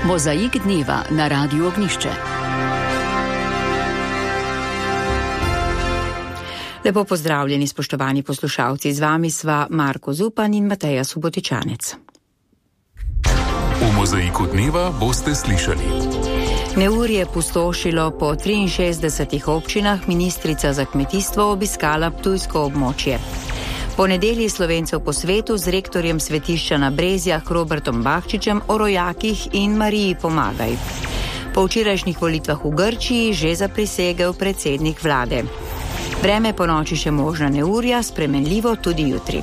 Mozaik dneva na Radiu Ognišče. Lepo pozdravljeni, spoštovani poslušalci, z vami sva Marko Zupan in Mateja Subotičanec. V Mozaiku dneva boste slišali. Neurje pustošilo po 63 občinah, ministrica za kmetijstvo obiskala ptujsko območje. Po nedelji Slovencev po svetu z rektorjem svetišča na Brezjah Robertom Bahčičem o rojakih in Mariji pomagaj. Po včerajšnjih volitvah v Grčiji že zaprisegel predsednik vlade. Vreme po noči še možna neurja, spremenljivo tudi jutri.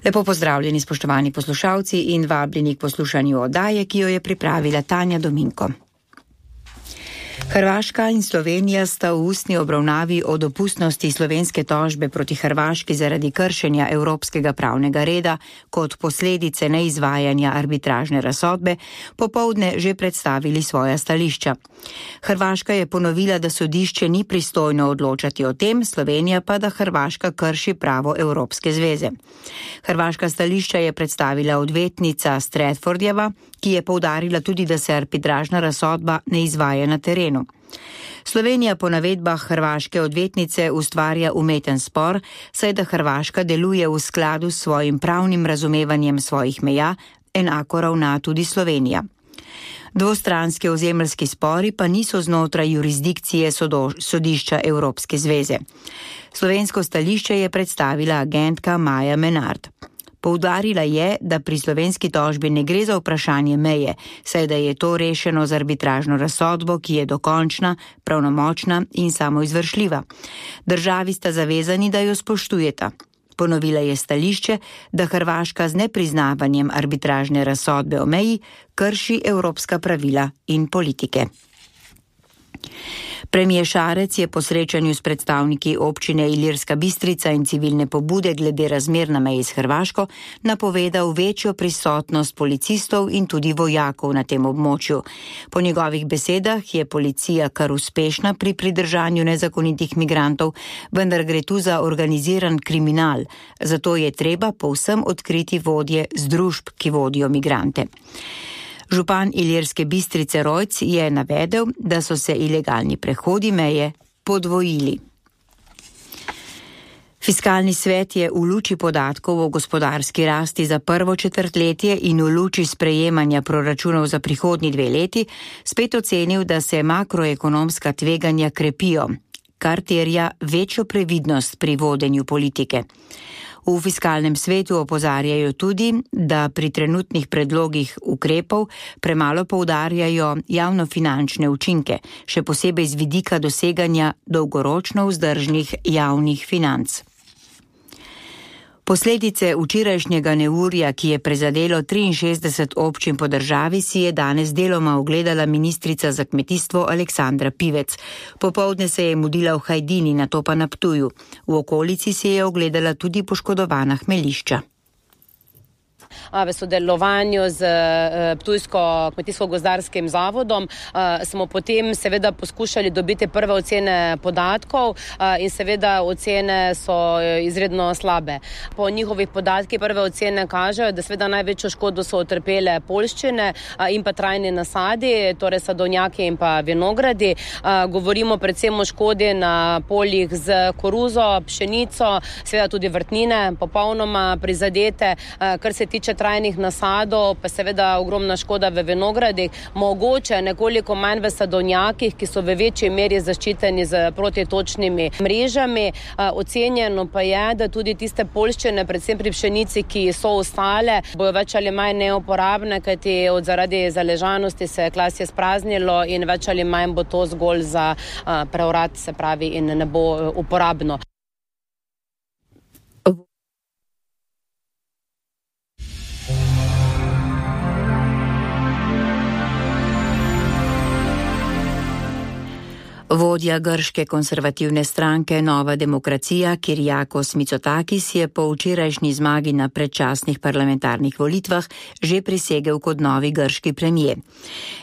Lepo pozdravljeni, spoštovani poslušalci, in vabljeni k poslušanju oddaje, ki jo je pripravila Tanja Dominko. Hrvaška in Slovenija sta v ustni obravnavi o dopustnosti slovenske tožbe proti Hrvaški zaradi kršenja evropskega pravnega reda kot posledice neizvajanja arbitražne razsodbe popoldne že predstavili svoja stališča. Hrvaška je ponovila, da sodišče ni pristojno odločati o tem, Slovenija pa, da Hrvaška krši pravo Evropske zveze. Hrvaška stališča je predstavila odvetnica Stratfordjeva, ki je poudarila tudi, da se arbitražna razsodba ne izvaja na terenu. Slovenija po navedbah hrvaške odvetnice ustvarja umeten spor, saj da Hrvaška deluje v skladu s svojim pravnim razumevanjem svojih meja, enako ravna tudi Slovenija. Dvostranski ozemeljski spori pa niso znotraj jurisdikcije sodišča Evropske zveze. Slovensko stališče je predstavila agentka Maja Menard. Poudarila je, da pri slovenski tožbi ne gre za vprašanje meje, saj da je to rešeno z arbitražno razsodbo, ki je dokončna, pravnomočna in samoizvršljiva. Državi sta zavezani, da jo spoštujeta. Ponovila je stališče, da Hrvaška z nepriznavanjem arbitražne razsodbe o meji krši evropska pravila in politike. Premijer Šarec je po srečanju s predstavniki občine Ilirska Bistrica in civilne pobude glede razmer na meji s Hrvaško napovedal večjo prisotnost policistov in tudi vojakov na tem območju. Po njegovih besedah je policija kar uspešna pri pridržanju nezakonitih migrantov, vendar gre tu za organiziran kriminal, zato je treba povsem odkriti vodje združb, ki vodijo migrante. Župan Ilirske Bistrice Rojc je navedel, da so se ilegalni prehodi meje podvojili. Fiskalni svet je v luči podatkov o gospodarski rasti za prvo četrtletje in v luči sprejemanja proračunov za prihodnji 2 leti spet ocenil, da se makroekonomska tveganja krepijo, kar terja večjo previdnost pri vodenju politike. V fiskalnem svetu opozarjajo tudi, da pri trenutnih predlogih ukrepov premalo poudarjajo javnofinančne učinke, še posebej z vidika doseganja dolgoročno vzdržnih javnih financ. Posledice včerajšnjega neurja, ki je prizadelo 63 občin po državi, si je danes deloma ogledala ministrica za kmetijstvo Aleksandra Pivec. Popoldne se je mudila v Hajdini, nato pa na Ptuju. V okolici si je ogledala tudi poškodovana hmeljišča. V sodelovanju z Ptujsko kmetijsko-gozdarskim zavodom smo potem seveda poskušali dobiti prve ocene podatkov in seveda ocene so izredno slabe. Po njihovih podatkih prve ocene kažejo, da seveda največjo škodo so utrpele poljščine in pa trajni nasadi, torej sadovnjaki in pa vinogradi. Govorimo predvsem o škodi na poljih z koruzo, pšenico, seveda tudi vrtnine popolnoma prizadete, kar se tiče trajnih nasadov, pa seveda ogromna škoda v vinogradih, mogoče nekoliko manj v sadovnjakih, ki so v večji meri zaščiteni z protitočnimi mrežami. Ocenjeno pa je, da tudi tiste poljščine, predvsem pri pšenici, ki so ostale, bojo več ali manj neuporabne, kajti zaradi zaležanosti se je klasje spraznilo in več ali manj bo to zgolj za preurad, se pravi, in ne bo uporabno. Vodja grške konservativne stranke Nova demokracija Kyriakos Mitsotakis je po včerajšnji zmagi na predčasnih parlamentarnih volitvah že prisegel kot novi grški premijer.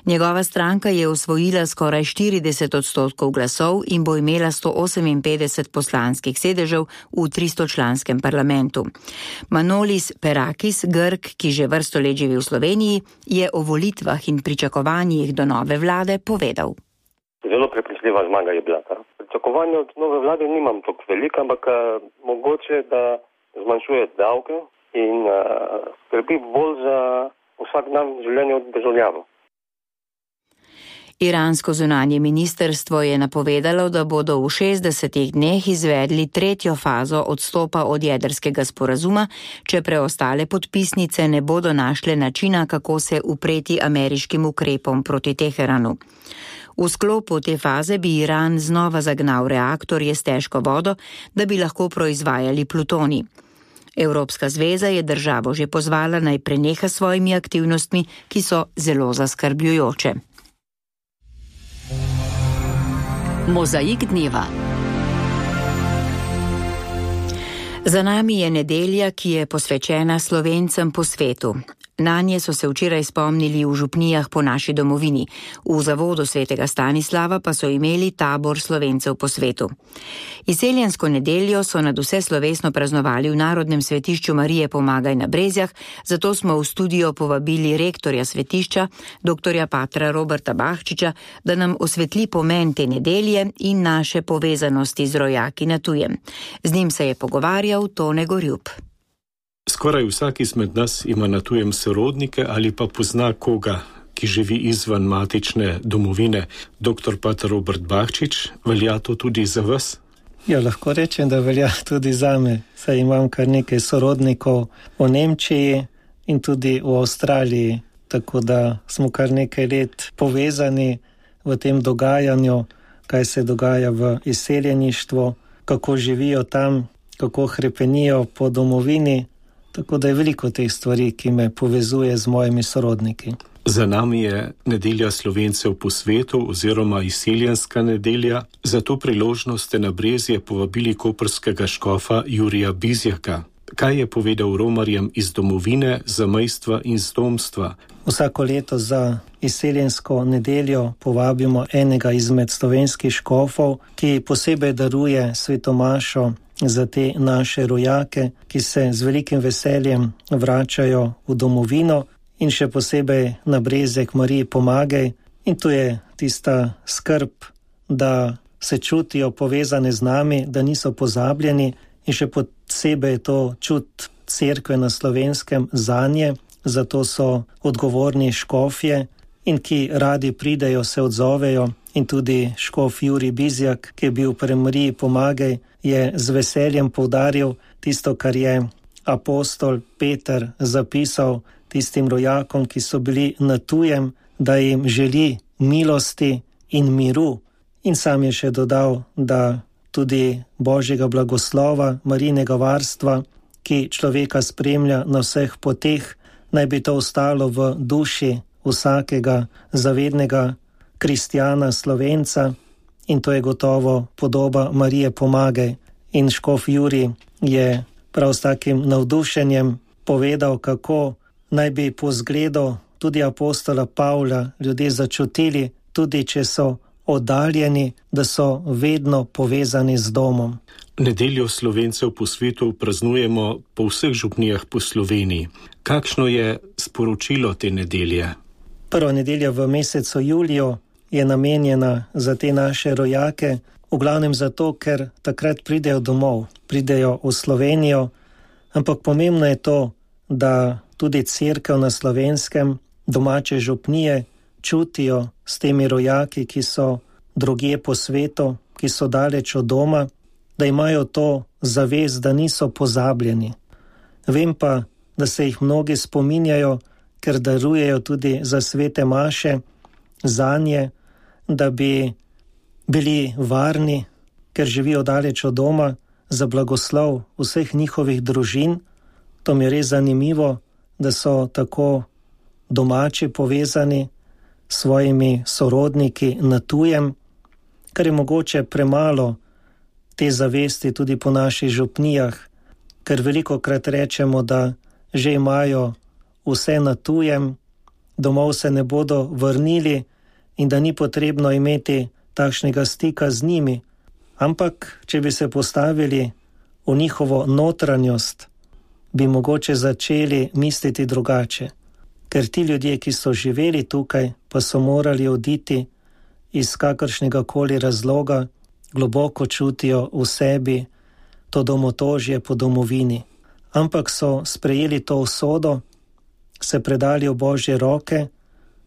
Njegova stranka je osvojila skoraj 40% glasov in bo imela 158 poslanskih sedežev v 300-članskem parlamentu. Manolis Perakis, Grk, ki že vrsto let živi v Sloveniji, je o volitvah in pričakovanjih do nove vlade povedal. Zelo prepričljiva zmaga je bila. Pričakovanja od nove vlade nimam toliko velika, ampak mogoče, da zmanjšuje davke in skrbi bolj za vsak dan življenje od državljanov. Iransko zunanje ministrstvo je napovedalo, da bodo v 60 dneh izvedli tretjo fazo odstopa od jedrskega sporazuma, če preostale podpisnice ne bodo našle načina, kako se upreti ameriškim ukrepom proti Teheranu. V sklopu te faze bi Iran znova zagnal reaktorje s težko vodo, da bi lahko proizvajali plutonij. Evropska zveza je državo že pozvala, naj preneha s svojimi aktivnostmi, ki so zelo zaskrbljujoče. Mozaik dneva. Za nami je nedelja, ki je posvečena Slovencem po svetu. Nanje so se včeraj spomnili v župnijah po naši domovini. V zavodu svetega Stanislava pa so imeli tabor Slovencev po svetu. Izseljensko nedeljo so nadvse slovesno praznovali v Narodnem svetišču Marije Pomagaj na Brezjah, zato smo v studio povabili rektorja svetišča, doktorja patra Roberta Bahčiča, da nam osvetli pomen te nedelje in naše povezanosti z rojaki na tujem. Z njim se je pogovarjal Tone Gorjup. Skoraj vsak izmed nas ima na tujem sorodnike ali pa pozna koga, ki živi izven matične domovine. Doktor pater Robert Bahčič, velja to tudi za vas? Ja, lahko rečem, da velja tudi za me. Saj imam kar nekaj sorodnikov v Nemčiji in tudi v Avstraliji, tako da smo kar nekaj let povezani v tem dogajanju, kaj se dogaja v izseljeništvu, kako živijo tam, kako hrepenijo po domovini. Tako da je veliko teh stvari, ki me povezuje z mojimi sorodniki. Za nami je nedelja Slovencev po svetu oziroma izseljenska nedelja. Za to priložnost ste na Brezje povabili koprskega škofa Jurija Bizjaka. Kaj je povedal romarjem iz domovine, zamejstva in zdomstva? Vsako leto za izseljensko nedeljo povabimo enega izmed slovenskih škofov, ki posebej daruje svetomašo za te naše rojake, ki se z velikim veseljem vračajo v domovino in še posebej na Brezje k Mariji Pomagaj. In tu je tista skrb, da se čutijo povezane z nami, da niso pozabljeni in še posebej je to čut cerkve na Slovenskem zanje, zato so odgovorni škofje in ki radi pridejo, se odzovejo. In tudi škof Jurij Bizjak, ki je bil pri Mariji Pomagaj, je z veseljem poudaril tisto, kar je apostol Peter zapisal tistim rojakom, ki so bili na tujem, da jim želi milosti in miru. In sam je še dodal, da tudi Božjega blagoslova, Marijinega varstva, ki človeka spremlja na vseh poteh, naj bi to ostalo v duši vsakega zavednega kristjana, Slovenca, in to je gotovo podoba Marije Pomagaj. In škof Jurij je prav s takim navdušenjem povedal, kako naj bi po zgledu tudi apostola Pavla ljudje začutili, tudi če so oddaljeni, da so vedno povezani z domom. Nedeljo Slovencev po svetu praznujemo po vseh župnijah po Sloveniji. Kakšno je sporočilo te nedelje? Prva nedelja v mesecu juliju je namenjena za te naše rojake, v glavnem zato, ker takrat pridejo domov, pridejo v Slovenijo, ampak pomembno je to, da tudi cerkev na Slovenskem, domače župnije čutijo s temi rojaki, ki so drugje po svetu, ki so daleč od doma, da imajo to zavest, da niso pozabljeni. Vem pa, da se jih mnogi spominjajo, ker darujejo tudi za svete maše, zanje, da bi bili varni, ker živijo daleč od doma, za blagoslov vseh njihovih družin. To mi je res zanimivo, da so tako domači povezani s svojimi sorodniki na tujem kar je mogoče premalo te zavesti tudi po naših župnijah, ker velikokrat rečemo, da že imajo vse na tujem, domov se ne bodo vrnili in da ni potrebno imeti takšnega stika z njimi. Ampak, če bi se postavili v njihovo notranjost, bi mogoče začeli misliti drugače. Ker ti ljudje, ki so živeli tukaj, pa so morali oditi iz kakršnega koli razloga, globoko čutijo v sebi to domotožje po domovini. Ampak so sprejeli to usodo, se predali v Božje roke,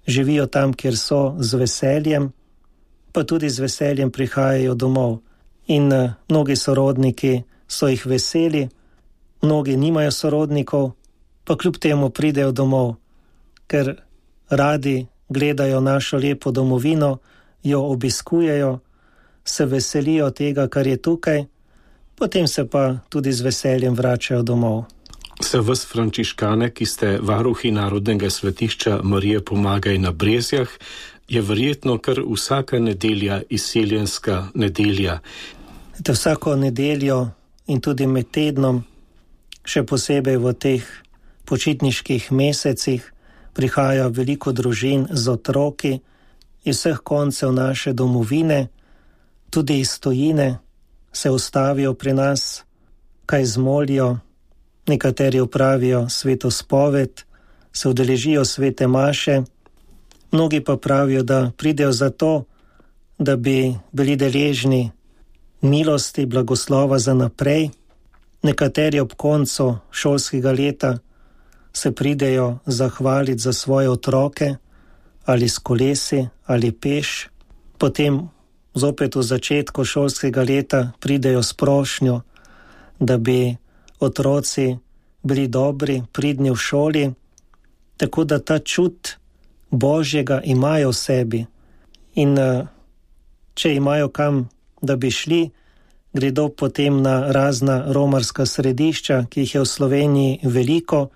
živijo tam, kjer so, z veseljem, pa tudi z veseljem prihajajo domov. In mnogi sorodniki so jih veseli, mnogi nimajo sorodnikov, pa kljub temu pridejo domov, ker radi gledajo našo lepo domovino, jo obiskujejo, se veselijo tega, kar je tukaj, potem se pa tudi z veseljem vračajo domov. Za vas, frančiškane, ki ste varuhi Narodnega svetišča Marije Pomagaj na Brezjah, je verjetno kar vsaka nedelja izseljenska nedelja. Vsako nedeljo in tudi med tednom, še posebej v teh počitniških mesecih, prihaja veliko družin z otroki iz vseh koncev naše domovine, tudi iz tujine, se ustavijo pri nas, kaj zmolijo, nekateri opravijo sveto spoved, se udeležijo svete maše, mnogi pa pravijo, da pridejo zato, da bi bili deležni milosti, blagoslova za naprej. Nekateri ob koncu šolskega leta se pridejo zahvaliti za svoje otroke, ali s kolesi, ali peš. Potem zopet v začetku šolskega leta pridejo s prošnjo, da bi otroci bili dobri, pridni v šoli, tako da ta čut Božjega imajo v sebi. In če imajo kam, da bi šli, gredo potem na razna romarska središča, ki jih je v Sloveniji veliko,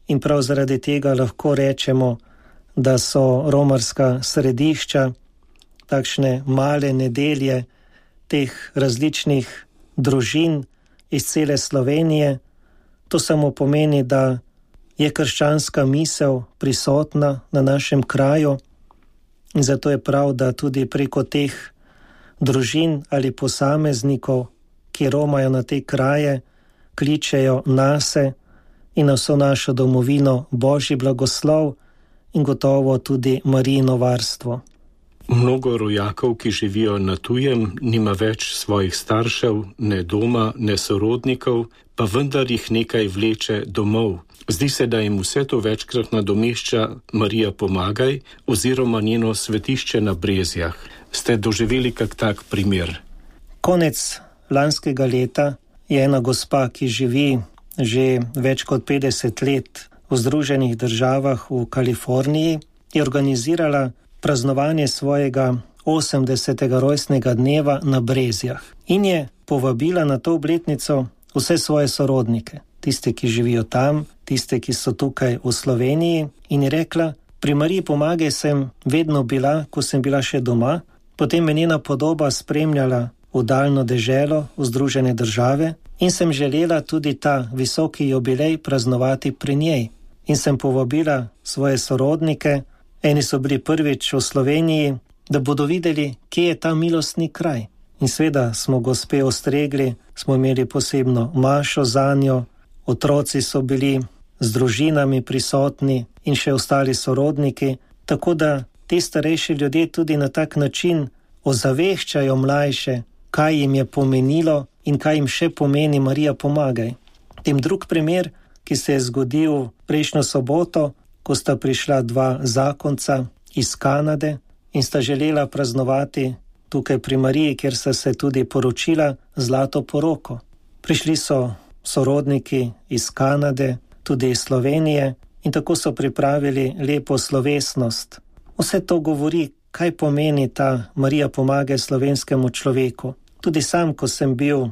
in prav zaradi tega lahko rečemo, da so romarska središča takšne male nedelje teh različnih družin iz cele Slovenije. To samo pomeni, da je krščanska misel prisotna na našem kraju in zato je prav, da tudi preko teh družin ali posameznikov, ki romajo na te kraje, kličejo nase in na vso našo domovino Božji blagoslov in gotovo tudi Marijino varstvo. Mnogo rojakov, ki živijo na tujem, nima več svojih staršev, ne doma, ne sorodnikov, pa vendar jih nekaj vleče domov. Zdi se, da jim vse to večkrat nadomešča Marija Pomagaj oziroma njeno svetišče na Brezjah. Ste doživeli kak tak primer? Konec lanskega leta je ena gospa, ki živi že več kot 50 let v Združenih državah v Kaliforniji, je organizirala praznovanje svojega 80. rojstnega dneva na Brezjah in je povabila na to obletnico vse svoje sorodnike, tiste, ki živijo tam, tiste, ki so tukaj v Sloveniji, in je rekla: pri Mariji Pomagaj sem vedno bila, ko sem bila še doma, potem me njena podoba spremljala v daljno deželo, v Združene države, in sem želela tudi ta visoki jubilej praznovati pri njej. In sem povabila svoje sorodnike, eni so bili prvič v Sloveniji, da bodo videli, kje je ta milostni kraj. In seveda smo gospe ostregli, smo imeli posebno mašo zanjo, otroci so bili z družinami prisotni in še ostali sorodniki, tako da ti starejši ljudje tudi na tak način ozaveščajo mlajše, kaj jim je pomenilo in kaj jim še pomeni Marija Pomagaj. Tem drug primer, ki se je zgodil prejšnjo soboto, ko sta prišla dva zakonca iz Kanade in sta želela praznovati tukaj pri Mariji, kjer sta se tudi poročila zlato poroko. Prišli so sorodniki iz Kanade, tudi iz Slovenije, in tako so pripravili lepo slovesnost. Vse to govori, kaj pomeni ta Marija Pomagaj slovenskemu človeku. Tudi sam, ko sem bil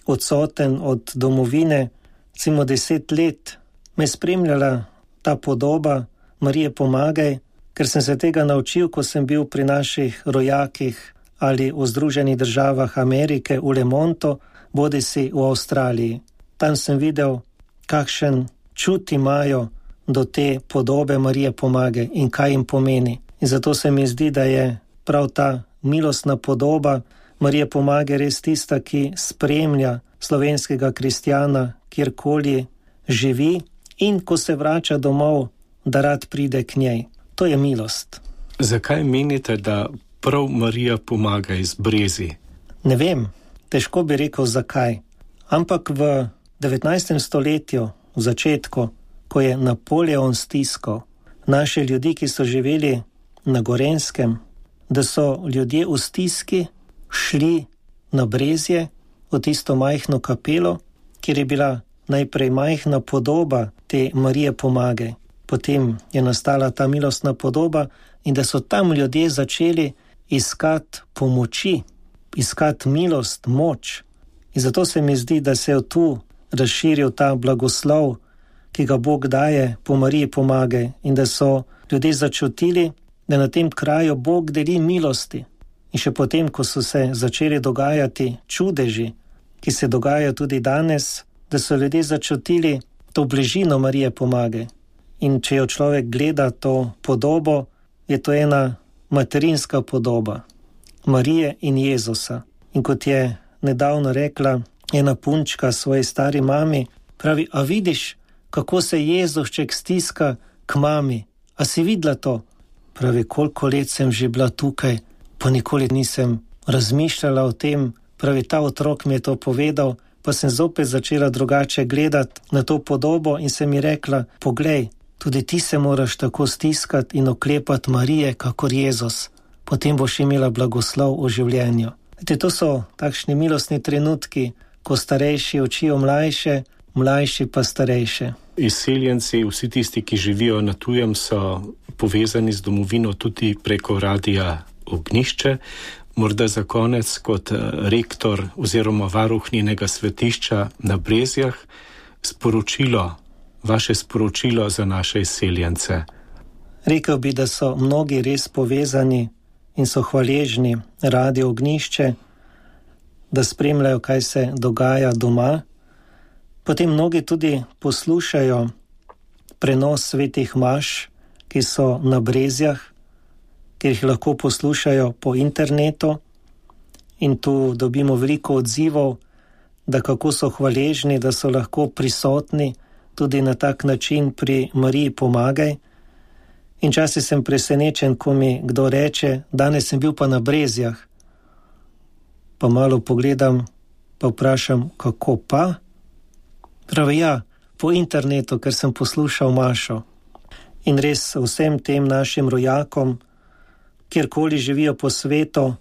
odsoten od domovine, recimo 10 let, me je spremljala ta podoba Marije Pomagaj, ker sem se tega naučil, ko sem bil pri naših rojakih ali v Združenih državah Amerike v Le Montu, bodisi v Avstraliji. Tam sem videl, kakšen čut imajo do te podobe Marije Pomage in kaj jim pomeni. In zato se mi zdi, da je prav ta milostna podoba Marije Pomage res tista, ki spremlja slovenskega kristjana, kjerkoli živi in ko se vrača domov, da rad pride k njej. To je milost. Zakaj menite, da prav Marija Pomaga iz Brezij? Ne vem, težko bi rekel zakaj. Ampak v 19. stoletju, v začetku, ko je Napoleon stiskal naše ljudi, ki so živeli na Gorenjskem, da so ljudje v stiski šli na Brezje, v tisto majhno kapelo, kjer je bila najprej majhna podoba te Marije Pomage. Potem je nastala ta milostna podoba in da so tam ljudje začeli iskati pomoči, iskati milost, moč. In zato se mi zdi, da se je tu razširil ta blagoslov, ki ga Bog daje po Mariji Pomage in da so ljudje začutili, da na tem kraju Bog deli milosti. In še potem, ko so se začeli dogajati čudeži, ki se dogajajo tudi danes, da so ljudje začutili to bližino Marije Pomage. In če jo človek gleda to podobo, je to ena materinska podoba Marije in Jezusa. In kot je nedavno rekla ena punčka svoji stari mami, pravi, a vidiš, kako se Jezušček stiska k mami? A si videla to? Pravi, koliko let sem že bila tukaj, pa nikoli nisem razmišljala o tem. Pravi, ta otrok mi je to povedal, pa sem zopet začela drugače gledati na to podobo in se mi rekla, poglej, tudi ti se moraš tako stiskati in oklepati Marije, kakor Jezus. Potem boš imela blagoslov v življenju. To so takšni milostni trenutki, ko starejši učijo mlajše, mlajši pa starejše. Izseljenci, vsi tisti, ki živijo na tujem, so povezani z domovino tudi preko radia Ognjišče. Morda za konec kot rektor oziroma varuh njenega svetišča na Brezjah vaše sporočilo za naše izseljence. Rekel bi, da so mnogi res povezani in so hvaležni radio Ognjišče, da spremljajo, kaj se dogaja doma. Potem mnogi tudi poslušajo prenos svetih maš, ki so na Brezjah, ker jih lahko poslušajo po internetu in tu dobimo veliko odzivov, da kako so hvaležni, da so lahko prisotni tudi na tak način pri Mariji Pomagaj. In časi sem presenečen, ko mi kdo reče, danes sem bil pa na Brezjah. Pa malo pogledam, pa vprašam, kako pa? Pravi, ja, po internetu, ker sem poslušal mašo. In res vsem tem našim rojakom, kjerkoli živijo po svetu,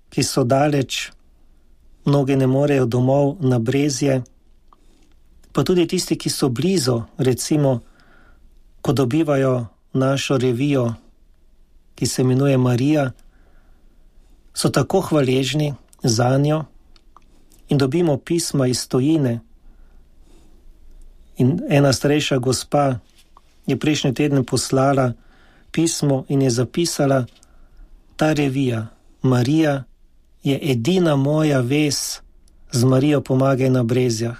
ki so daleč, mnogi ne morejo domov na Brezje, pa tudi tisti, ki so blizu, recimo, ko dobivajo našo revijo, ki se imenuje Marija, so tako hvaležni za njo in dobimo pisma iz tujine. In ena starejša gospa je prejšnji teden poslala pismo in je zapisala, ta revija Marija je edina moja vez z Marijo Pomagaj na Brezjah.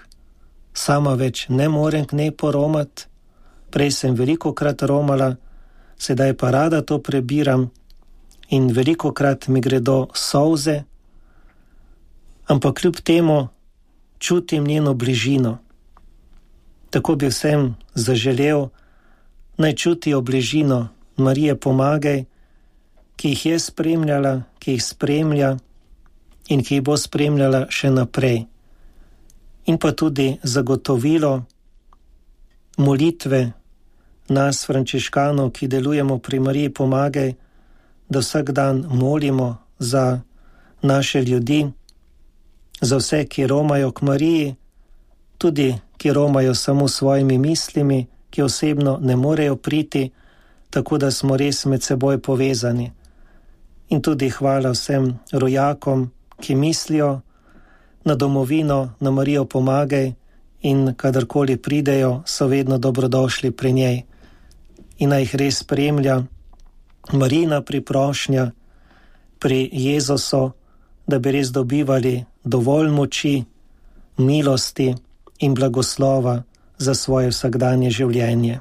Sama več ne morem k njej poromati, prej sem velikokrat romala, sedaj pa rada to prebiram in velikokrat mi gredo solze, ampak kljub temu čutim njeno bližino. Tako bi vsem zaželel, naj čutijo bližino Marije Pomagaj, ki jih je spremljala, ki jih spremlja in ki jih bo spremljala še naprej. In pa tudi zagotovilo molitve nas, frančiškanov, ki delujemo pri Mariji Pomagaj, da vsak dan molimo za naše ljudi, za vse, ki romajo k Mariji, tudi ki romajo samo svojimi mislimi, ki osebno ne morejo priti, tako da smo res med seboj povezani. In tudi hvala vsem rojakom, ki mislijo na domovino, na Marijo Pomagaj in kadarkoli pridejo, so vedno dobrodošli pri njej. In naj jih res spremlja Marijina priprošnja, pri Jezusu, da bi res dobivali dovolj moči, milosti in blagoslova za svoje vsakdanje življenje.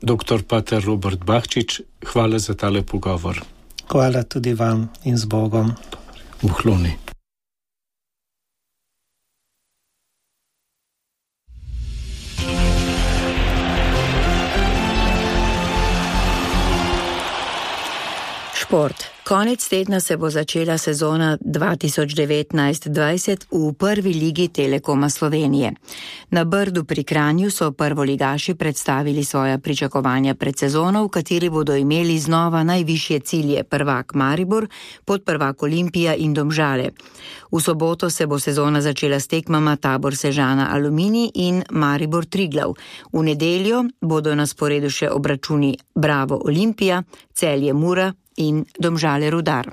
Dr. pater Robert Bahčič, hvala za tale pogovor. Hvala tudi vam in z Bogom. Uhloni. Šport. Konec tedna se bo začela sezona 2019-20 v prvi ligi Telekoma Slovenije. Na Brdu pri Kranju so prvoligaši predstavili svoja pričakovanja pred sezono, v kateri bodo imeli znova najvišje cilje: prvak Maribor, podprvak Olimpija in Domžale. V soboto se bo sezona začela s tekmama Tabor Sežana Aluminij in Maribor Triglav. V nedeljo bodo na sporedu še obračuni Bravo Olimpija, Celje Mura in Domžale Rudar.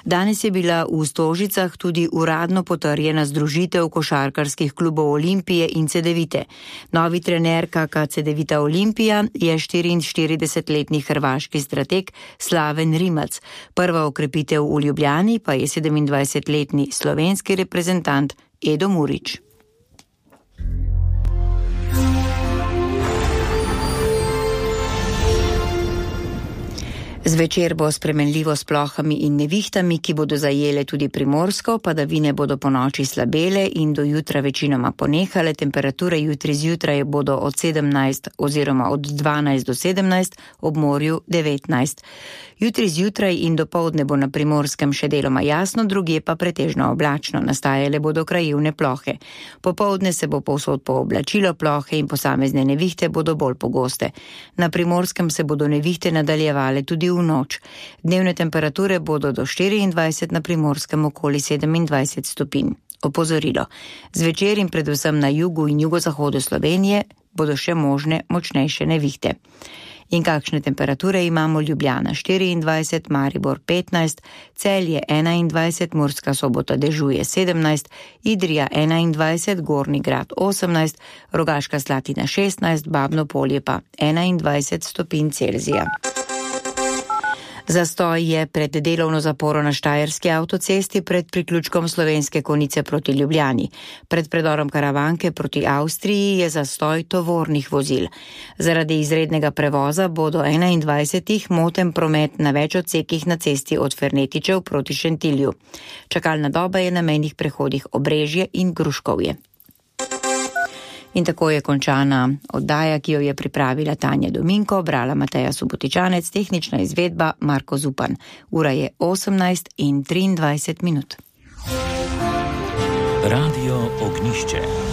Danes je bila v Stožicah tudi uradno potrjena združitev košarkarskih klubov Olimpije in Cedevite. Novi trener KK Cedevita Olimpija je 44-letni hrvaški strateg Slaven Rimac. Prva okrepitev v Ljubljani pa je 27-letni slovenski reprezentant Edo Murić. Zvečer bo spremenljivo s plohami in nevihtami, ki bodo zajele tudi Primorsko, padavine bodo ponoči slabele in do jutra večinoma ponehale. Temperature jutri zjutraj bodo od 17 oziroma od 12 do 17, ob morju 19. Jutri zjutraj in dopoldne bo na Primorskem še deloma jasno, drugje pa pretežno oblačno, nastajale bodo krajevne plohe. Popoldne se bo povsod pooblačilo, plohe in posamezne nevihte bodo bolj pogoste. Na Primorskem se bodo nevihte nadaljevale tudi v noč. Dnevne temperature bodo do 24, na Primorskem okoli 27 stopinj. Opozorilo. Zvečer in predvsem na jugu in jugozahodu Slovenije bodo še možne močnejše nevihte. In kakšne temperature imamo? Ljubljana 24, Maribor 15, Celje 21, Murska Sobota dežuje 17, Idrija 21, Gornji Grad 18, Rogaška Slatina 16, Babno Polje pa 21 stopinj Celzija. Zastoj je pred delovno zaporo na Štajerski avtocesti pred priključkom Slovenske Konjice proti Ljubljani. Pred predorom Karavanke proti Avstriji je zastoj tovornih vozil. Zaradi izrednega prevoza bo do 21. moten promet na več odsekih na cesti od Fernetičev proti Šentilju. Čakalna doba je na mejnih prehodih Obrežje in Gruškovje. In tako je končana oddaja, ki jo je pripravila Tanja Dominko, brala Mateja Subotičanec, tehnična izvedba Marko Zupan. Ura je 18:23. Radio Ognjišče.